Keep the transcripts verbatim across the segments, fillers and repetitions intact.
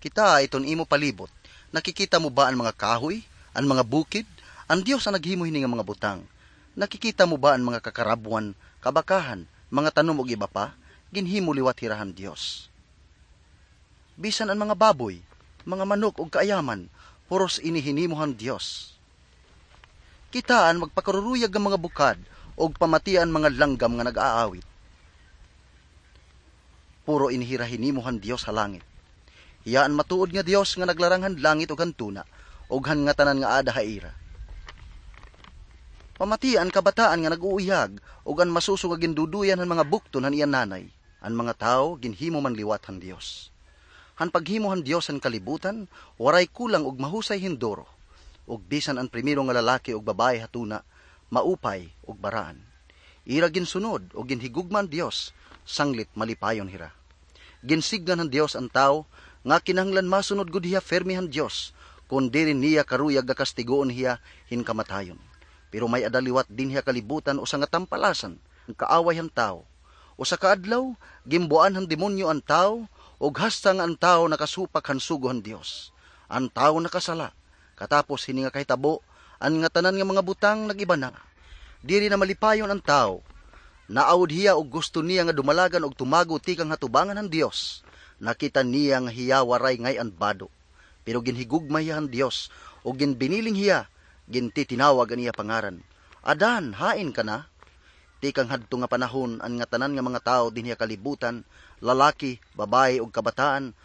Kitaa iton imo palibot. Nakikita mo ba an mga kahoy, an mga bukid? An Dios an naghimo hini nga mga butang. Nakikita mo ba an mga kakarabwan, kabakahan, mga tanom ug iba pa? Ginhimo liwat hira han Dios. Bisan an mga baboy, mga manok ug kaayaman, puros ini hinimo han Dios. Kitaa an magpakaruruyag nga mga bukad, ug pamatia an mga langgam nga nag-aawit. Puro ini hira hinimo han Dios ha langit. Hiya an matuod nga Dios nga naglarang han langit ug han tuna, ug han ngatanan nga aada ha ira. Pamatia an kabataan nga nag-uuyag, ug an masuso nga ginduduyan han mga bukton han iya nanay. An mga tawo ginhimo man liwat han Dios. Han paghimo han Dios han kalibutan, waray kulang ug mahusay hinduro. Ug bisan an primero nga lalaki ug babaye ha tuna, maupay ug baraan. Ira ginsunod ug ginhigugma an Dios, sanglit malipayon hira. Ginsidngan han Dios an tawo nga kinahanglan masunod gud hiya pirme han Dios, kon diri niya karuyag nga kastigoon hiya hin kamatayon. Pero may-ada liwat dinhi ha kalibutan usa nga tampalasan, an kaaway han tawo. Usa ka adlaw, ginbuan han demonyo an tawo, ug hasta nga an tawo nakasupak han sugo han Dios. An tawo nakasala. Katapos hini nga kahitabo, an ngatanan nga mga butang nag-iba na. Diri na malipayon an tawo. Naawod hiya ug gusto niya nga dumalagan ug tumago tikang ha tubangan han Dios. Nakita niya nga hiya waray ngay-an bado. Pero ginhigugma hiya han Dios, ug ginbiniling hiya, gintitinawag an iya pangaran. "Adan, hain ka na?" Tikang hadto nga panahon, an ngatanan nga mga tawo dinhi ha kalibutan, lalaki, babaye, ug kabataan,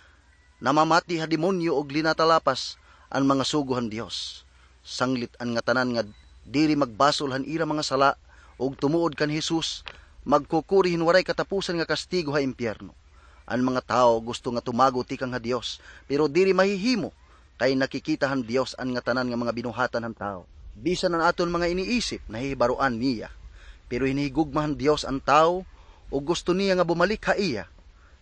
namamati ha demonyo ug linatalapas an mga sugo han Dios. Sanglit an ngatanan nga diri magbasol han ira mga sala ug tumuod kan Jesus, magkukuri hin waray katapusan nga kastigo ha impyerno. An mga tawo gusto nga tumago tikang ha Dios, pero diri mahihimo, kay nakikita han Dios an ngatanan nga mga binuhatan han tawo. Bisan an aton mga iniisip, nahihibaroan niya. Pero hinihigugma han Dios an tawo, ug gusto niya nga bumalik ha iya.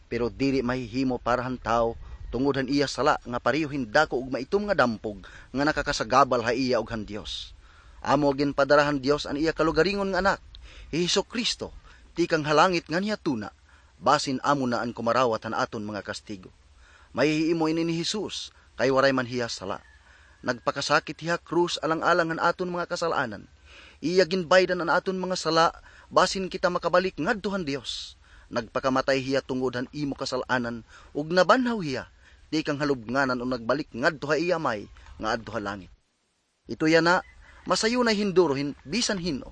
Pero diri mahihimo para han tawo, tungod han iya sala nga pareho hin dako ug maitom nga dampog nga nakakasagabal ha iya ug han Dios. Amo ginpadara han Dios an iya kalugaringon nga Anak, hi Jesu-Cristo, tikang ha langit nganhi ha tuna, basin amo na an kumarawat han aton mga kastigo. Mahihimo ini ni Jesus, kay waray man hiya sala. Nagpakasakit hiya ha krus alang-alang han aton mga kasal-anan. Iya ginbaydan an aton mga sala, basin kita makabalik ngadto han Dios. Nagpakamatay hiya tungod han imo kasal-anan, ug nabanhaw hiya tikang ha lubnganan ug nagbalik ngadto ha iya Amay nga adto ha langit. Ito yana, masayunay hinduro hin bisan hin-o.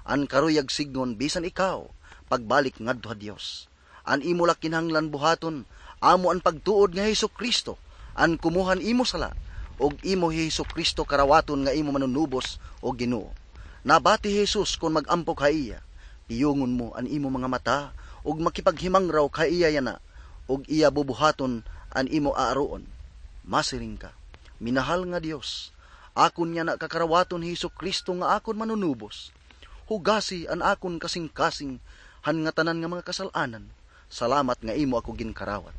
An karuyag sidngon bisan ikaw, pagbalik ngadto ha Dios. An imo la kinahanglan buhaton, amo an pagtuod nga hi Jesu-Cristo an kumuha han imo sala, ug imo hi Jesu-Cristo karawaton nga imo Manunubos ug Ginoo. Nabati hi Jesus kon mag-ampok ha iya, "Piyungon mo an imo mga mata, ug makipaghimangraw ha iya yana, ug iya bubuhaton an imo aaruon." Masiring ka, "Minahal nga Dios, akon yana kakarawaton hi Jesu-Cristo nga akon Manunubos. Hugasi an akon kasingkasing han ngatanan nga mga kasal-anan. Salamat nga imo ako ginkarawat."